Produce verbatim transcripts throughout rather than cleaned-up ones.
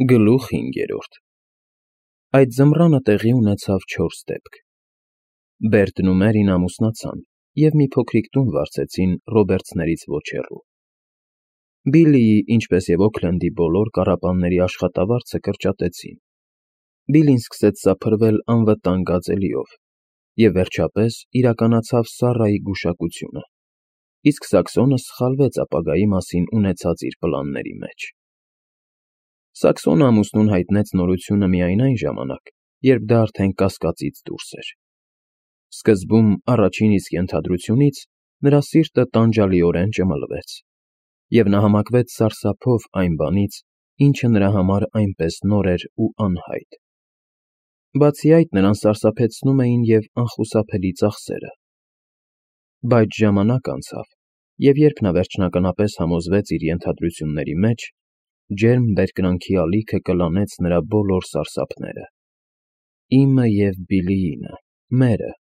Գլուխ հինգերորդ Այդ ձմռանը տեղի ունեցավ չորս դեպք. Բերտն ու Մերին ամուսնացան և մի փոքրիկ տուն վարձեցին Ռոբերտսներից ոչ հեռու. Բիլլիի, ինչպես և Օքլենդի բոլոր կառապանների աշխատավարձը կրճատեցին, Բիլլին սկսեց սափրվել անվտանգ գածելիով, և վերջապես իրականացավ Սառայի գուշակությունը, իսկ Սաքսոնը սխալվեց ապագայի մասին ունեցած իր պլանների մեջ։ Սաքսոնը ամուսնուն հայտնեց նորությունը միայն այն ժամանակ, երբ դա արդեն կասկածից դուրս էր։ Սկզբում, առաջին իսկ ենթադրությունից, նրա սիրտը տանջալիորեն ճմլվեց, և նա համակվեց սարսափով այն բանից, ինչը նրա համար այնպես նոր էր ու անհայտ։ Բացի այդ, նրան սարսափեցնում էին և անխուսափելի ծախսերը։ Բայց ժամանակ անցավ, և երբ նա վերջնականապես համոզվեց իր ենթադրությունների մեջ, ջերմ բերկրանքի ալիքը կլանեց նրա բոլոր սարսափները։ «Իմը և Բիլլիինը, մերը»,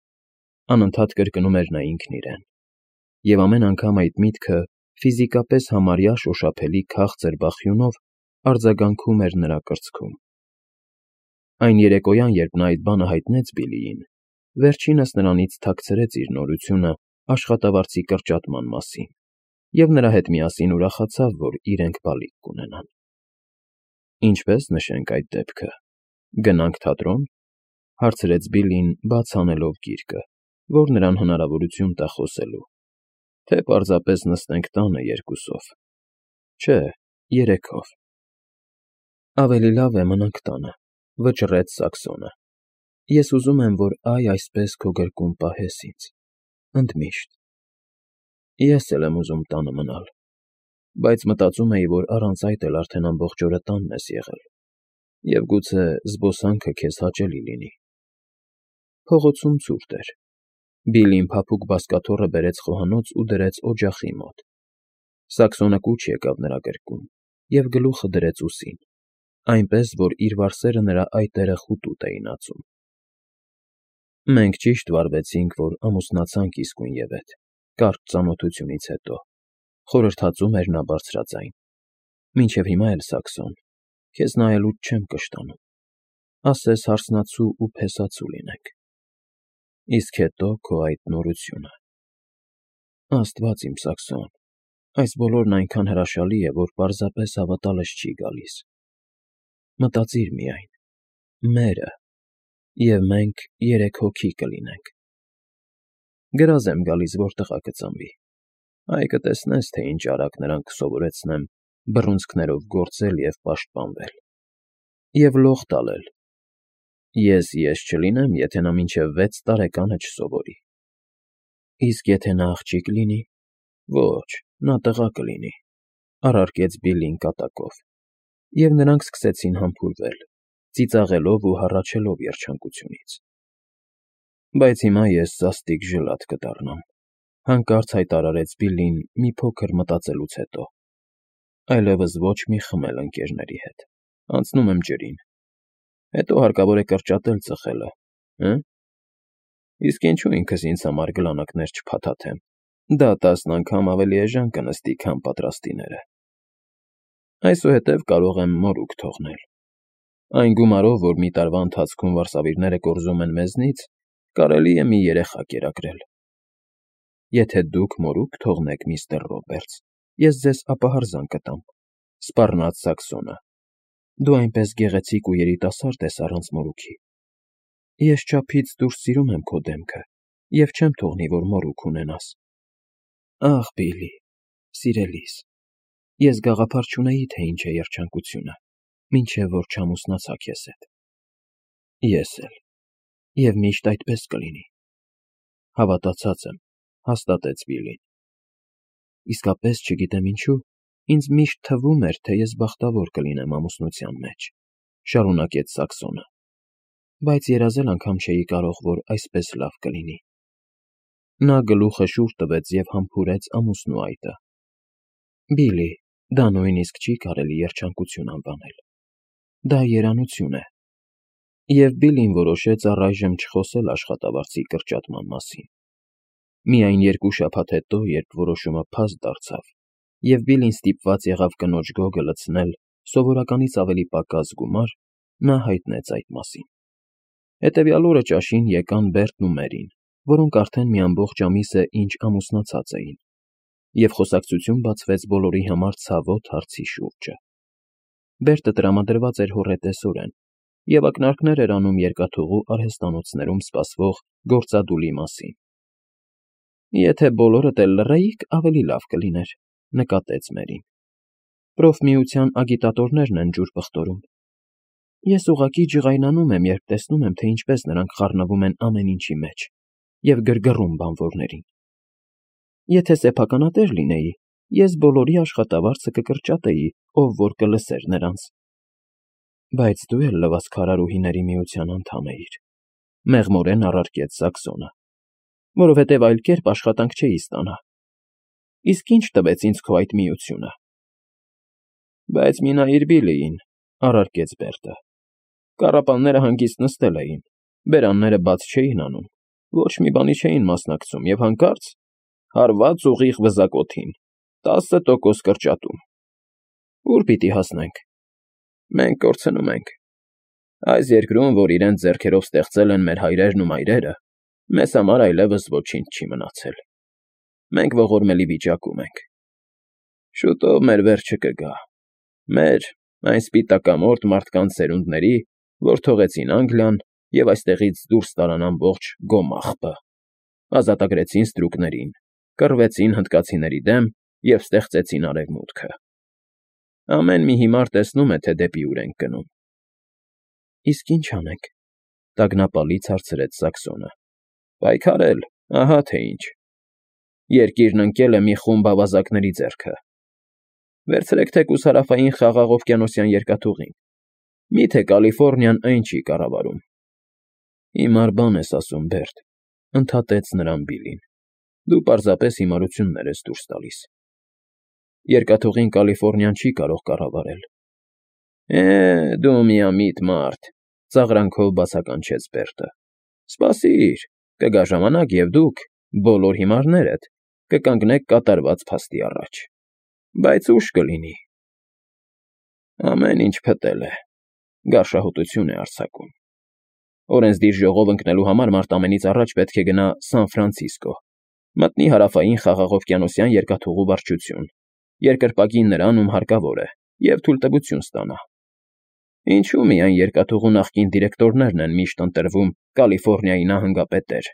անընդհատ կրկնում էր նա ինքն իրեն, և ամեն անգամ այդ միտքը ֆիզիկապես համարյա շոշափելի քաղցր բախյունով արձագանքում էր նրա կրծքում։ Այն երեկոյան, երբ նա այդ բանը հայտնեց Բիլլիին, վերջինս նրանից թաքցրեց իր նորությունը աշխատավարձի կրճատման մասին, և նրա հետ միասին ուրախացավ, որ իրենք բալիկ կունենան։ «Ինչպե՞ս նշենք այդ դեպքը, գնա՞նք թատրոն», հարցրեց Բիլլին, բաց անելով գիրկը, որ նրան հնարավորություն տա խոսելու, «թե պարզապես նստենք տանը երկուսով»։ «Չէ, երեքով»։ «Ավելի լավ է մնանք տանը», վճռեց Սաքսոնը։ «Ես ուզում եմ, որ այ այսպես քո գրկում պահես ինձ, ընդմիշտ»։ «Ես էլ եմ ուզում տանը մնալ, բայց մտածում էի, որ առանց այդ էլ արդեն ամբողջ օրը տանն ես եղել, և գուցե զբոսանքը քեզ հաճելի լինի»։ Փողոցում ցուրտ էր։ Բիլլին փափուկ բազկաթոռը բերեց խոհանոց ու դրեց օջախի մոտ։ Սաքսոնը կուչ եկավ նրա գրկում և գլուխը դրեց ուսին, այնպես, որ իր վարսերը նրա այտերը խուտուտ էին ածում։ «Մենք ճիշտ վարվեցինք, որ ամուսնացանք իսկույնևեթ, կարճ ծանոթությունից հետո», խորհրդածում էր նա բարձրաձայն։ «Մինչև հիմա էլ, Սաքսոն, քեզ նայելուց չեմ կշտանում, ասես հարսնացու ու փեսացու լինենք։ Իսկ հետո քո այդ նորությունը… Աստված իմ, Սաքսոն, այս բոլորն այնքան հրաշալի է, որ պարզապես հավատալս չի գալիս։ Մտածիր միայն… մերը… և մենք երեք հոգի կլինենք… Գրազ եմ գալիս, որ տղա կծնվի, այ կտեսնես, թե ինչ արագ նրան կսովորեցնեմ բռունցքներով գործել և պաշտպանվել… և լող տալել… Ես ես չլինեմ, եթե նա մինչև վեց տարեկանը չսովորի։ Իսկ եթե նա աղջիկ լինի… Ոչ, նա տղա կլինի…» առարկեց Բիլլին կատակով, և նրանք սկսեցին համբուրվել, ծիծաղելով ու հառաչելով երջանկությունից։ «Բայց հիմա ես սաստիկ ժլատ կդառնամ», հանկարծ հայտարարեց Բիլլին մի փոքր մտածելուց հետո։ «Այլևս ոչ մի խմել ընկերների հետ, անցնում եմ ջրին… Հետո հարկավոր է կրճատել ծխելը, հը՞։ Իսկ ինչու ինքս ինձ համար գլանակներ չփաթաթեմ, դա տասն անգամ ավելի էժան կնստի, քան պատրաստիները… Այսուհետև կարող եմ մորուք թողնել… Այն գումարով, որ մի տարվա ընթացքում վարսավիրները կորզում են մեզնից, կարելի է մի երեխա կերակրել»։ «Եթե դուք մորուք թողնեք, միստր Ռոբերտս, ես ձեզ ապահարզան կտամ», սպառնաց Սաքսոնը։ «Դու այնպես գեղեցիկ ու երիտասարդ ես առանց մորուքի… Ես չափից դուրս սիրում եմ քո դեմքը և չեմ թողնի, որ մորուք ունենաս… Ախ, Բիլլի, սիրելիս, ես գաղափար չունեի, թե ինչ է երջանկությունը, մինչև որ չամուսնացա քեզ հետ»։ «Ես էլ… և միշտ այդպես կլինի»։ «Հավատացած եմ», հաստատեց Բիլլին։ «Իսկապես չգիտեմ ինչու, ինձ միշտ թվում էր, թե ես բախտավոր կլինեմ ամուսնության մեջ», շարունակեց Սաքսոնը, «բայց երազել անգամ չէի կարող, որ այսպես լավ կլինի»։ Նա գլուխը շուռ տվեց և համբուրեց ամուսնու այտը։ «Բիլլի, դա նույնիսկ չի կարելի երջանկություն անվանել… Դա երանություն է»։ Եվ Բիլլին որոշեց առայժմ չխոսել աշխատավարձի կրճատման մասին։ Միայն երկու շաբաթ հետո, երբ որոշումը փաստ դարձավ, և Բիլլին ստիպված եղավ կնոջ գոգը լցնել, սովորականից ավելի պակաս գումար, նա հայտնեց այդ մասին։ Հետևյալ օրը ճաշին եկան Բերտն ու Մերին, որոնք արդեն մի ամբողջ ամիս է ինչ ամուսնացած էին, և խոսակցություն բացվեց բոլորի համար ցավոտ հարցի շուրջը։ Բերտը տրամադրված էր հոռետեսորեն, և ակնարկներ էր անում երկաթուղու արհեստանոցներում սպասվող գործադուլի մասին։ Եթե բոլորդ էլ լռեիք, ավելի լավ կլիներ, նկատեց Մերին։ Պրոֆմիության ագիտատորներն են ջուր պղտորում։ Ես ուղղակի ջղայնանում եմ, երբ տեսնում եմ, թե ինչպես նրանք խառնվում են ամեն ինչի մեջ և գրգռում բանվորներին։ Եթե սեփականատեր լինեի, ես բոլորի աշխատավարձը կկրճատեի, ով որ կլսեր նրանց։ Բայց դու էլ լվացքարարուհիների միության անդամ էիր, մեղմորեն առարկեց Սաքսոնը, որովհետև այլ կերպ աշխատանք չէի ստանա։ Իսկ ի՞նչ տվեց ինձ քո այդ միությունը։ Բայց մի նայիր Բիլլիին, առարկեց Բերտը։ Կառապանները հանգիստ նստել էին, բերանները բաց չէին անում, ոչ մի բանի չէին մասնակցում և հանկարծ հարված ուղիղ վզակոթին, տասը տոկոս կրճատում։ Ո՞ւր պիտի հասնենք։ Մենք կորցնում ենք։ Այս երկրում, որ իրենց ձեռքերով ստեղծել են մեր հայրերն ու մայրերը, մեզ համար այլևս ոչինչ չի մնացել։ Մենք ողորմելի վիճակում ենք։ Շուտով մեր վերջը կգա։ Մեր, այն սպիտակամորթ մարդկանց սերունդների, որ թողեցին Անգլիան և այստեղից դուրս տարան ամբողջ Գոմաղբը, ազատագրեցին ստրուկներին, կռվեցին հնդկացիների դեմ և ստեղծեցին Արևմուտքը։ Ամեն մի հիմար տեսնում է, թե դեպի ուր ենք գնում։ Իսկ ի՞նչ անենք, տագնապալից հարցրեց Սաքսոնը։ Պայքարել, ահա թե ինչ։ Երկիրն ընկել է մի խումբ ավազակների ձեռքը։ Վերցրեք թեկուզ հարավային Խաղաղ օվկիանոսյան երկաթուղին։ Մի՞թե Կալիֆոռնիան այն չի կառավարում։ Հիմար բան ես ասում, Բերտ, ընդհատեց նրան Բիլլին։ Դու պարզապես հիմարություններ ես դուրս տալիս։ Երկաթուղին Կալիֆոռնիան չի կարող կառավարել։ Է, դու միամիտ մարդ, ծաղրանքով բացականչեց Բերտը։ Սպասիր, կգա ժամանակ, և դուք, բոլոր հիմարներդ, կկանգնեք կատարված փաստի առաջ։ Բայց ուշ կլինի։ Ամեն ինչ փտել է, գարշահոտություն է արձակում։ Օրենսդիր ժողով ընկնելու համար մարդ ամենից առաջ պետք է գնա Սան Ֆրանցիսկո, մտնի հարավային Խաղաղ օվկիանոսյան երկաթուղու վարչություն, երկրպագի նրան, ում հարկավոր է, և թույլտվություն ստանա։ Ինչու միայն երկաթուղու նախկին դիրեկտորներն են միշտ ընտրվում Կալիֆոռնիայի նահանգապետեր։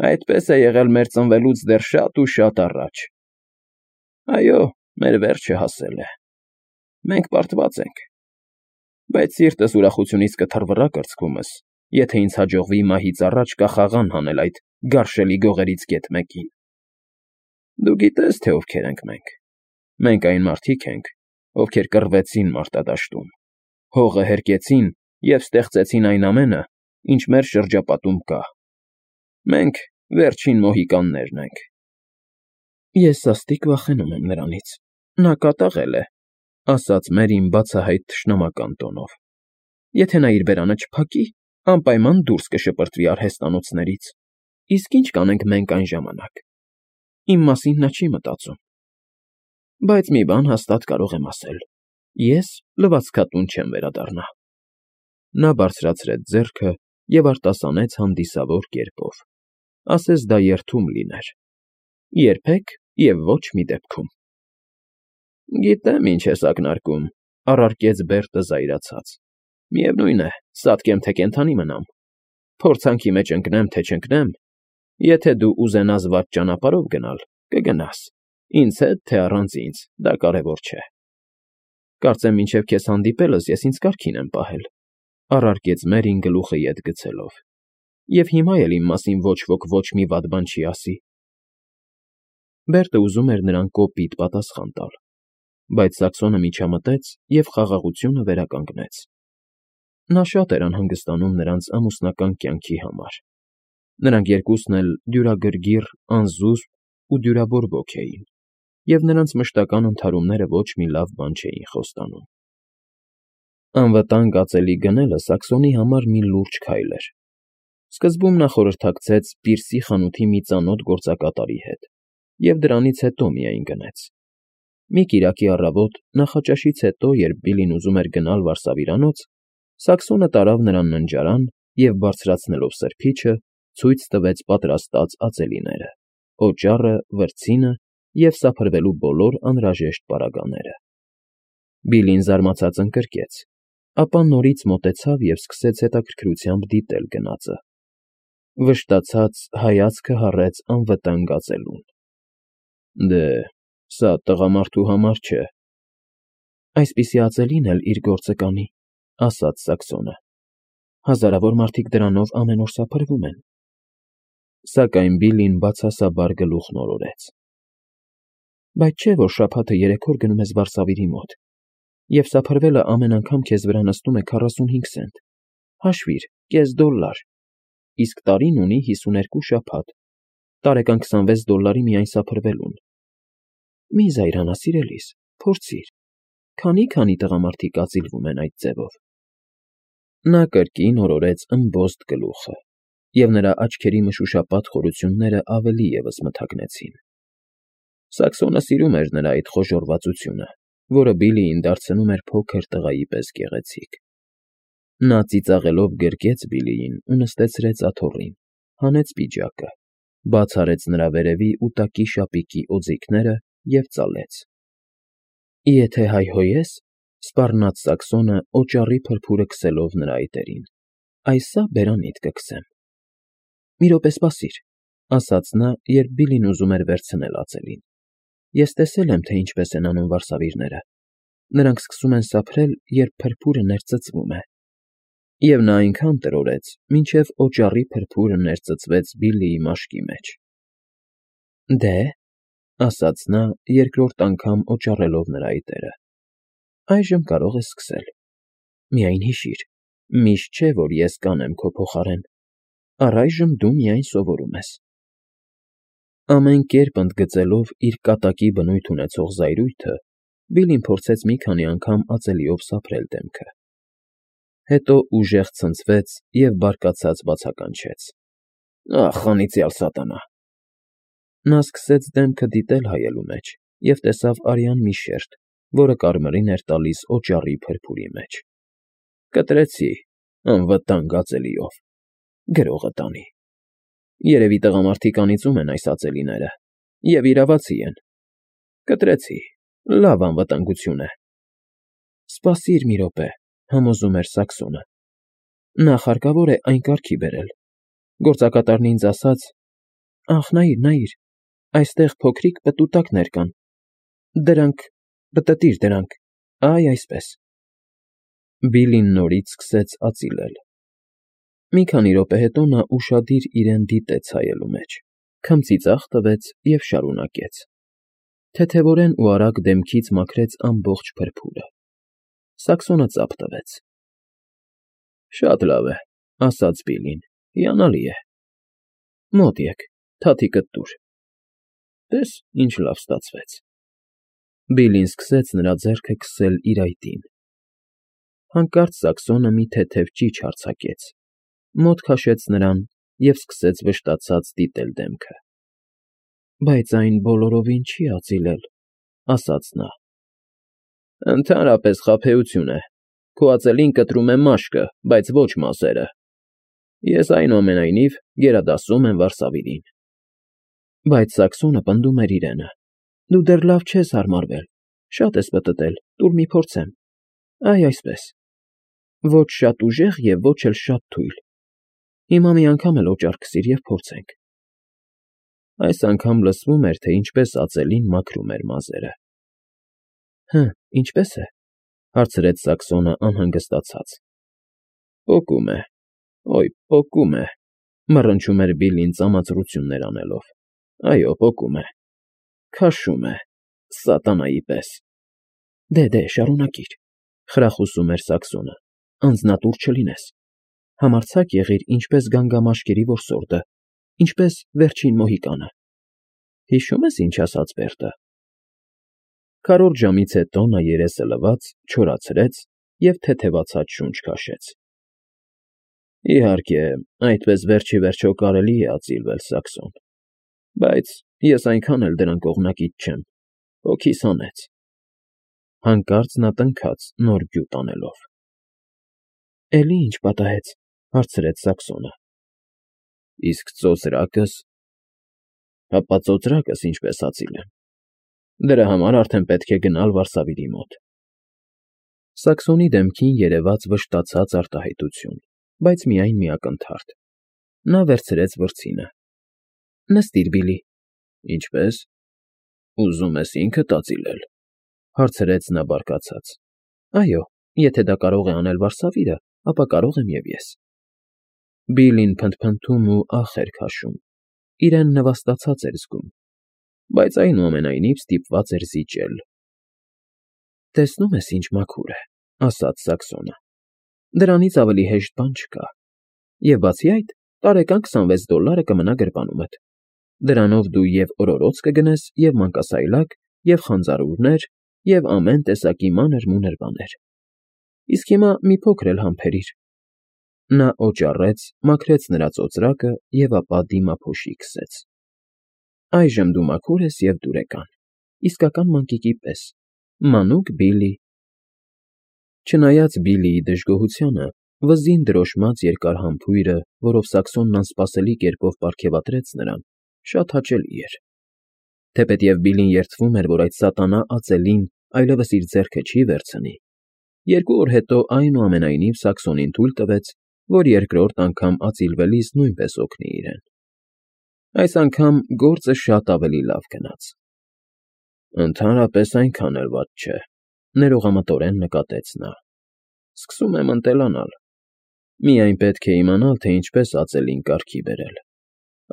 Այդպես է եղել մեր ծնվելուց դեռ շատ ու շատ առաջ։ Այո, մեր վերջը հասել է։ Մենք պարտված ենք։ Բայց սիրտս ուրախությունից կթռվռա կրծքումս, եթե ինձ հաջողվի մահից առաջ կախաղան հանել այդ գարշելի գողերից գեթ մեկին։ Դու գիտես, թե ովքեր ենք մենք։ Մենք այն մարդիկ ենք, ովքեր կռվեցին մարտադաշտում, հողը հերկեցին և ստեղծեցին այն ամենը, ինչ մեր շրջապատում կա։ Մենք վերջին մոհիկաններն ենք։ Ես սաստիկ վախենում եմ նրանից։ Նա կատաղել է, ասաց Մերին բացահայտ թշնամական տոնով։ Եթե նա իր բերանը չփակի, անպայման դուրս կշպրտվի արհեստանոցներից։ Իսկ ի՞նչ կանենք մենք այն ժամանակ։ Իմ մասին նա չի մտածում։ Բայց մի բան հաստատ կարող եմ ասել. ես լվացքատուն չեմ վերադառնա։ Նա բարձրացրեց ձեռքը և արտասանեց հանդիսավոր կերպով, ասես դա երդում լիներ. երբեք և ոչ մի դեպքում։ Գիտեմ, ինչ ես ակնարկում, առարկեց Բերտը զայրացած։ Միևնույն է, սատկեմ, թե կենդանի մնամ։ Փորձանքի մեջ ընկնեմ, թե չընկնեմ, եթե դու ուզենաս վատ ճանապարհով գնալ, կգնաս, ինձ հետ, թե առանց ինձ, դա կարևոր չէ։ Կարծեմ մինչև քեզ հանդիպելս ես ինձ կարգին եմ պահել, առարկեց Մերին գլուխը ետ գցելով։ Եվ հիմա էլ իմ մասին ոչ ոք ոչ մի վատ բան չի ասի։ Բերտը ուզում էր նրան կոպիտ պատասխան տալ, բայց Սաքսոնը միջամտեց և խաղաղությունը վերականգնեց։ Նա շատ էր անհանգստանում նրանց ամուսնական կյանքի համար։ Նրանք երկուսն էլ դյուրագրգիռ, անզուսպ ու դյուրաբորբոք էին, և նրանց մշտական ընդհարումները ոչ մի լավ բան չէին խոստանում։ Անվտանգ ածելի գնելը Սաքսոնի համար մի լուրջ քայլ էր։ Սկզբում նա խորհրդակցեց Պիրսի խանութի մի ծանոթ գործակատարի հետ և դրանից հետո միայն գնեց։ Մի կիրակի առավոտ, նախաճաշից հետո, երբ Բիլին ուզում էր գնալ վարսավիրանոց, Սաքսոնը տարավ նրան ննջարան և, բարձրացնելով սրբիչը, ցույց տվեց պատրաստած ածելիները, օճառը, վրձինը և սափրվելու բոլոր անհրաժեշտ պարագաները։ Բիլին զարմացած ընկրկեց, ապա նորից մոտեցավ և սկսեց հետաքրքրությամբ դիտել գնածը։ Վշտացած հայացքը հառեց անվտանգ ածելուն։ Դե, սա տղամարդու համար չէ։ Այսպիսի ածելին էլ իր գործը կանի, ասաց Սաքսոնը։ Հազարավոր մարդիկ դրանով ամեն օր սափրվում են։ Սակայն Բիլին բացասաբար գլուխն օրորեց։ Բայց չէ՞ որ շաբաթը երեք օր գնում ես վարսավիրի մոտ, և սափրվելը ամեն անգամ քեզ վրա նստում է քառասունհինգ սենտ, հաշվիր՝ կես դոլլար, իսկ տարին ունի հիսուներկու շաբաթ, տարեկան քսանվեց դոլլարի միայն սափրվելուն։ Մի զայրանա, սիրելիս, փորձիր, քանի՞֊քանի տղամարդիկ ածիլվում են այդ ձևով։ Նա կրկին օրորեց ըմբոստ գլուխը, և նրա աչքերի մշուշապատ խորությունները ավելի ևս մթագնեցին։ Սաքսոնը սիրում էր նրա այդ խոժոռվածությունը, որը Բիլիին դարձնում էր փոքր տղայի պես գեղեցիկ։ Նա ծիծաղելով գրկեց Բիլիին ու նստեցրեց աթոռին, հանեց պիջակը, բաց արեց նրա վերևի ու տակի շապիկի օձիքները և ծալեց։ Եթե հայհոյես, սպառնաց Սաքսոնը, օճառի փրփուրը քսելով նրա այտերին, այսա բերանիդ կքսեմ։ Մի րոպե սպասիր, ասաց նա, երբ Բիլին ուզում էր վերցնել ածելին։ Ես տեսել եմ, թե ինչպես են անում վարսավիրները։ Նրանք սկսում են սափրել, երբ փրփուրը ներծծվում է։ Եվ նա այնքան տրորեց, մինչև օճառի փրփուրը ներծծվեց Բիլիի մաշկի մեջ։ Դե, ասաց նա, երկրորդ անգամ օճառելով նրա այտերը, այժմ կարող ես սկսել։ Միայն հիշիր, միշտ չէ, որ ես կանեմ քո փոխարեն, առայժմ դու միայն սովորում ես։ Ամեն կերպ ընդգծելով իր կատակի բնույթ ունեցող զայրույթը, Բիլին փորձեց մի քանի անգամ ածելիով սափրել դեմքը։ Հետո ուժեղ ցնցվեց և բարկացած բացականչեց. Ախ, անիծյալ սատանա։ Նա սկսեց դեմքը դիտել հայելու մեջ և տեսավ արյան մի շերտ, որը կարմիրին էր տալիս օճառի փրփուրի մեջ։ Կտրեցի, անվտանգ ածելիով, գրողը տանի։ Երևի տղամարդիկ անիծում են այս ածելիները, և իրավացի են։ Կտրեցի, լավ անվտանգություն է։ Սպասիր մի րոպե, համոզում էր Սաքսոնը։ Նախ հարկավոր է այն կարգի բերել։ Գործակատարն ինձ ասաց. Ախ, նայիր, նայիր, այստեղ փոքրիկ պտուտակներ կան։ Դրանք, պտտիր դրանք, այ այսպես։ Բիլին նորից սկսեց ածիլել։ Մի քանի րոպե հետո նա ուշադիր իրեն դիտեց հայելու մեջ, քմծիծաղ տվեց և շարունակեց։ Թեթևորեն ու արագ դեմքից մաքրեց ամբողջ փրփուրը։ Սաքսոնը ծափ տվեց։ Շատ լավ է, ասաց Բիլին, հիանալի է։ Մոտ եկ, թաթիկդ տուր։ Տես, ինչ լավ ստացվեց։ Բիլին սկսեց նրա ձեռքը քսել իր այտին։ Հանկարծ Սաքսոնը մի թեթև ճիչ արձակեց, մոտ քաշեց նրան և սկսեց վշտացած դիտել դեմքը։ Բայց այն բոլորովին չի ածիլել, ասաց նա։ Ընդհանրապես խաբեություն է։ Քո ածելին կտրում է մաշկը, բայց ոչ մազերը։ Ես, այնուամենայնիվ, գերադասում եմ վարսավիրին։ Բայց Սաքսոնը պնդում էր իրենը։ Դու դեռ լավ չես հարմարվել, շատ ես պտտել, տուր մի փորձեմ։ Այ այսպես։ Ոչ շատ ուժեղ և ոչ էլ շատ թույլ։ Հիմա մի անգամ էլ օճառ քսիր և փորձենք։ Այս անգամ լսվում էր, թե ինչպես ածելին մաքրում էր մազերը։ Հը, ինչպե՞ս է,֊ հարցրեց Սաքսոնը անհանգստացած։ Պոկում է, օй, պոկում է,֊ մռնչում էր Բիլին ծամածրություններ անելով։ Այո, պոկում է, քաշում է, սատանայի պես։ Դե, դե, շարունակիր,֊ խրախուսում էր Սաքսոնը, անձնատուր չլինես։ Համարձակ եղիր ինչպես գանգամաշկերի որսորդը, ինչպես Վերջին Մոհիկանը։ Հիշո՞ւմ ես, ինչ ասաց Բերտը։ Քառորդ ժամից հետո նա երեսը լվաց, չորացրեց և թեթևացած շունչ քաշեց։ Իհարկե, այդպես վերջ ի վերջո կարելի է ածիլվել, Սաքսոն, բայց ես այնքան էլ դրան կողմնակից չեմ, հոգիս հանեց։ Հանկարծ նա տնքաց, նոր գյուտ անելով։ ֊ Էլի ի՞նչ պատահեց,֊ հարցրեց Սակսոնը։ ֊ Իսկ ծոծրակս… Հապա ծոծրակս ինչպես հացի լեմ… Դրա համար արդեն պետք է գնալ վարսավիրի մոտ… Սակսոնի դեմքին երևաց վշտացած արտահայտություն, բայց միայն մի ակնթարթ… Նա վերցրեց վրձինը։ ֊ Նստիր, Բիլլի։ ֊ Ինչպե՞ս… Ուզում ես ինքդ ածիլել,֊ հարցրեց նա բարկացած։ ֊ Այո, եթե դա կարող է անել վարսավիրը, ապա կարող եմ և ես… Բիլլին փնթփնթում ու ախ էր քաշում, իրեն նվաստացած էր զգում, բայց այնուամենայնիվ ստիպված էր զիջել։ ֊ Տեսնում ես, ինչ մաքուր է,֊ ասաց Սակսոնը։ ֊ Դրանից ավելի հեշտ բան չկա… Եվ բացի այդ, տարեկան քսանվեց դոլլարը կմնա գրպանումդ… Դրանով դու և օրորոց կգնես, և մանկասայլակ, և խանձարուրներ, և ամեն տեսակի մանր֊մունր բաներ… Իսկ հիմա մի փոքր էլ համբերիր… Նա օճառեց, մաքրեց նրա ծոծրակը և ապա դիմափոշի քսեց։ ֊ Այժմ դու մաքուր ես և դուրեկան, իսկական մանկիկի պես, մանուկ Բիլլի… Չնայած Բիլլիի դժգոհությանը, վզին դրոշմած երկար համբույրը, որով Սակսոնն անսպասելի կերպով պարգևատրեց նրան, շատ հաճելի էր… Թեպետև Բիլլին երդվում էր, որ այդ սատանա ածելին այլևս իր ձեռքը չի վերցնի, երկու օր հետո այնուամենայնիվ Սակսոնին թույլ տվեց, որ երկրորդ անգամ ածիլվելիս նույնպես օգնի իրեն։ Այս անգամ գործը շատ ավելի լավ գնաց։ ֊ Ընդհանրապես այնքան էլ վատ չէ,֊ ներողամտորեն նկատեց նա։ ֊ Սկսում եմ ընտելանալ… Միայն պետք է իմանալ, թե ինչպես ածելին կարգի բերել…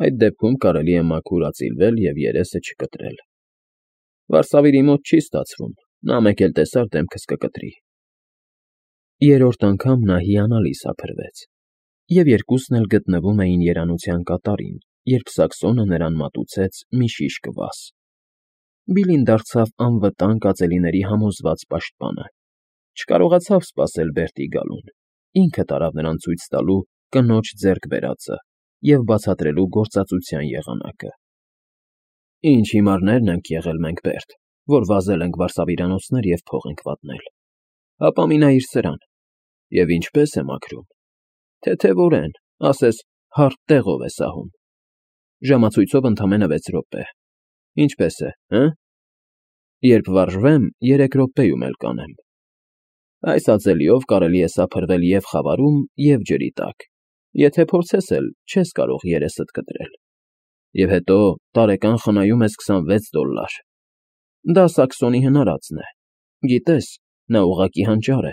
Այդ դեպքում կարելի է մաքուր ածիլվել և երեսը չկտրել… Վարսավիրի մոտ չի ստացվում, նա մեկ էլ տեսար դեմքս կկտրի… Երրորդ անգամ նա հիանալի սափրվեց, և երկուսն էլ գտնվում էին երանության կատարին, երբ Սակսոնը նրան մատուցեց մի շիշ կվաս… Բիլլին դարձավ անվտանգ ածելիների համոզված պաշտպանը, չկարողացավ սպասել Բերտի գալուն, ինքը տարավ նրան ցույց տալու կնոջ ձեռք բերածը և բացատրելու գործածության եղանակը։ ֊ Ինչ հիմարներ ենք եղել մենք, Բերտ, որ վազել ենք վարսավիրանոցներ և փող ենք վատնել… Հապա մի նայիր սրան… Եվ ինչպե՜ս է մաքրում… Թեթևորեն, ասես հարթ տեղով է սահում… Ժամացույցով ընդամենը վեց րոպե… Ինչպե՞ս է, հը՞… Երբ վարժվեմ, երեք րոպեում էլ կանեմ… Այս ածելիով կարելի է սափրվել և խավարում, և ջրի տակ, եթե փորձես էլ, չես կարող երեսդ կտրել… Եվ հետո տարեկան խնայում ես քսանվեց դոլլար… Դա Սակսոնի հնարածն է, գիտես, նա ուղղակի հանճար է,